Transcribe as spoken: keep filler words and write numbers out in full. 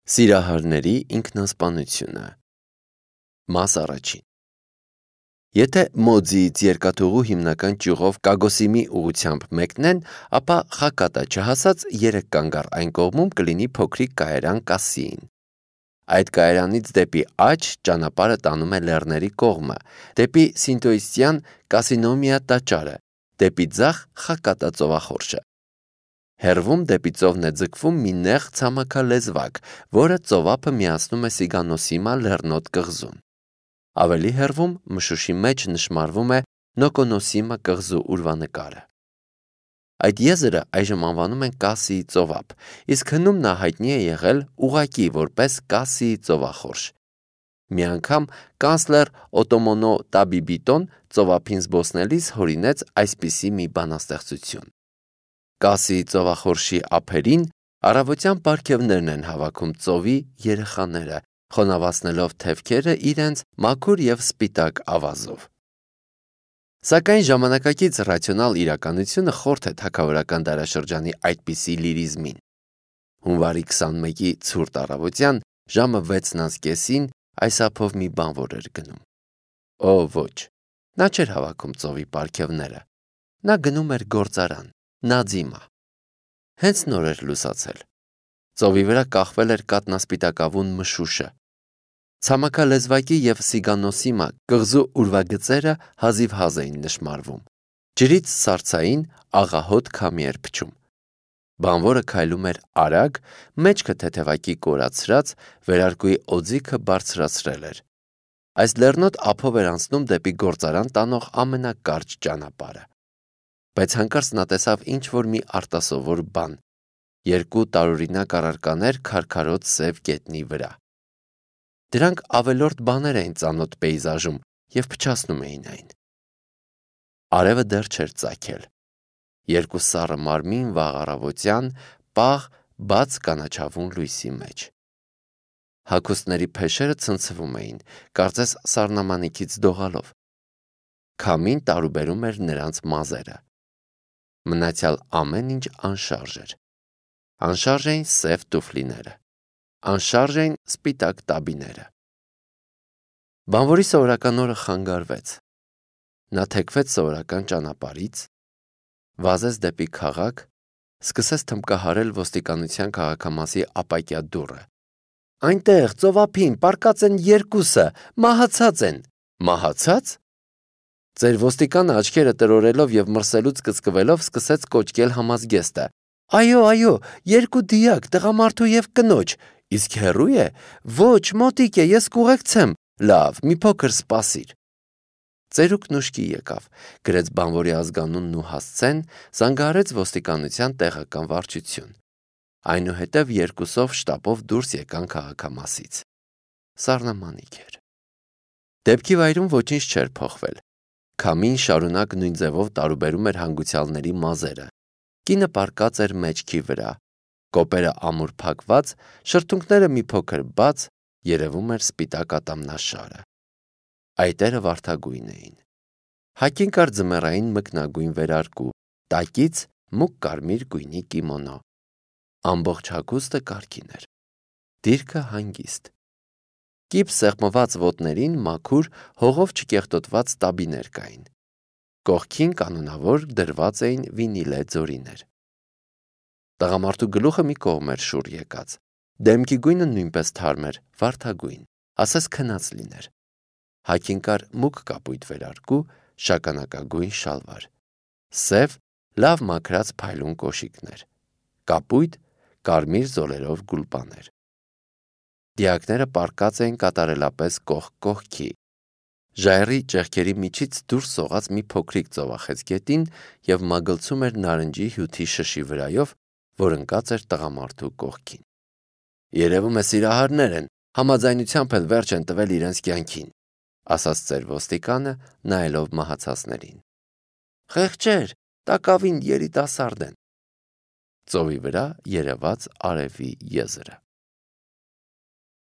Սիրահարների ինքնասպանությունը։ Մաս առաջին։ Եթե Մոձիից երկաթուղու հիմնական ճյուղով Կագոսիմի ուղղությամբ մեկնեն, ապա Խակատա չհասած երեք կանգառ այն կողմում կլինի փոքրիկ կայարան Կասսիին։ Այդ կայարանից դեպի աջ ճանապարհը տանում է լեռների կողմը, դեպի Սինտոիստյան Կասինոմիա տաճարը, դեպի ձախ Խակատա ծովախորշը։ Հեռվում դեպի ծովն է ձգվում մի նեղ ցամաքալեզվակ, որը ծովափը միացնում է Սիգանոսիմա լեռնոտ կղզուն։ Ավելի հեռվում մշուշի մեջ նշմարվում է Նոկոնոսիմա կղզու ուրվանկարը։ Այդ եզրը այժմ անվանում են Կասսիի ծովափ, իսկ հնում նա հայտնի է եղել ուղղակի որպես Կասսիի ծովախորշ։ Մի անգամ կանցլեր Օտոմոնո Տաբիբիտոն ծովափին զբոսնելիս հորինեց այսպիսի մի բանաստեղծություն. Կասսիի ծովախորշի ափերին առավոտյան պարգևներն են հավաքում ծովի երեխաները, խոնավացնելով թևքերը իրենց մաքուր և սպիտակ ավազով։ Սակայն ժամանակակից ռացիոնալ իրականությունը խորթ է թագավորական դարաշրջանի այդպիսի լիրիզմին։ Հունվարի քսանմեկի ցուրտ առավոտյան ժամը վեցն անց կեսին այս ափով մի բանվոր էր գնում։ Օ ոչ, նա չէր հավաքում ծովի պարգևները, նա գնում էր գործարան, Նաձիմա։ Հենց նոր էր լուսացել։ Ծովի վրա կախվել էր կատնասպիտակավուն մշուշը։ Ցամաքալեզվակի և Սիգանոսիմա կղզու ուրվագծերը հազիվհազ էին նշմարվում։ Ջրից սառցային աղահոտ քամի էր փչում։ Բանվորը քայլում էր արագ, մեջքը թեթևակի կորացրած, վերարկուի օձիքը բարձրացրել էր։ Այս լեռնոտ ափով էր անցնում դեպի գործարան տանող ամենակարճ ճանապարհը։ Բայց հանկարծ նա տեսավ ինչ-որ մի արտասովոր բան՝ երկու տարօրինակ առարկաներ քարքարոտ սև գետնի վրա։ Դրանք ավելորդ բաներ էին ծանոթ պեյզաժում և փչացնում էին այն։ Արևը դեռ չէր ծագել։ Երկու սառը մարմին վաղ առավոտյան պաղ բաց կանաչավուն լույսի մեջ։ Հագուստների փեշերը ցնցվում էին, կարծես սառնամանիքից դողալով։ Քամին տարուբերում էր նրանց մազերը։ Մնացյալ ամեն ինչ անշարժ էր։ Անշարժ էին սև տուֆլիները, անշարժ էին սպիտակ տաբիները։ Բանվորի սովորական օրը խանգարվեց։ Նա թեքվեց սովորական ճանապարհից, վազեց դեպի քաղաք, սկսեց թմբկահարել ոստիկանության քաղաքամասի ապակյա դուռը։ Այնտեղ ծովափին պառկած են երկուսը, մահացած են։ Մահացա՞ծ։ Ձեր ոստիկանը աչքերը տրորելով և մրսելուց կծկվելով սկսեց կոչկել համազգեստը։ Այո, այո, երկու դիակ, տղամարդու և կնոջ։ Իսկ հեռու է։ Ոչ, մոտիկ է, ես կուղեկցեմ։ Լավ, մի փոքր սպասիր։ Ծերուկն ուշքի եկավ, գրեց բանվորի ազգանունն ու հասցեն, զանգահարեց ոստիկանության տեղական վարչություն։ Այնուհետև երկուսով շտապով դուրս եկան քաղաքամասից։ Սառնամանիք էր։ Դեպքի վայրում ոչինչ չէր փոխվել։ Քամին շարունակ նույն ձևով տարուբերում էր հանգուցյալների մազերը։ Կինը պառկած էր մեջքի վրա, կոպերը ամուր փակված, շրթունքները մի փոքր բաց, երևում էր սպիտակ ատամնաշարը։ Այտերը վարդագույն էին։ Հագին կար ձմեռային մկնագույն վերարկու, տակից մուգ կարմիր գույնի կիմոնո։ Ամբողջ հագուստը կարգին էր։ Դիրքը հանգիստ։ Կիպ սեղմված ոտներին մաքուր, հողով չկեղտոտված տաբիներ կային։ Կողքին կանոնավոր դրված էին վինիլե ձորիներ։ Տղամարդու գլուխը մի կողմ էր շուռ եկած։ Դեմքի գույնը նույնպես թարմ էր, վարդագույն, ասես քնած լիներ։ Հագին կար մուգ կապույտ վերարկու, շագանակագույն շալվար։ Սև, լավ մաքրած փայլուն կոշիկներ։ Կապույտ, կարմիր զոլերով գուլպաներ։ Դիակները պառկած էին կատարելապես կողք կողքի։ Ժայռի ճեղքերի միջից դուրս սողաց մի փոքրիկ ծովախեցգետին և մագլցում էր նարնջի հյութի շշի վրայով, որ ընկած էր տղամարդու կողքին։ Երևում է սիրահարներ են, համաձայնությամբ էլ վերջ են տվել իրենց կյանքին, ասաց ծեր ոստիկանը, նայելով մահացածներին։ Խեղճեր, տակավին երիտասարդ են։ Ծովի վրա երևաց արևի եզրը։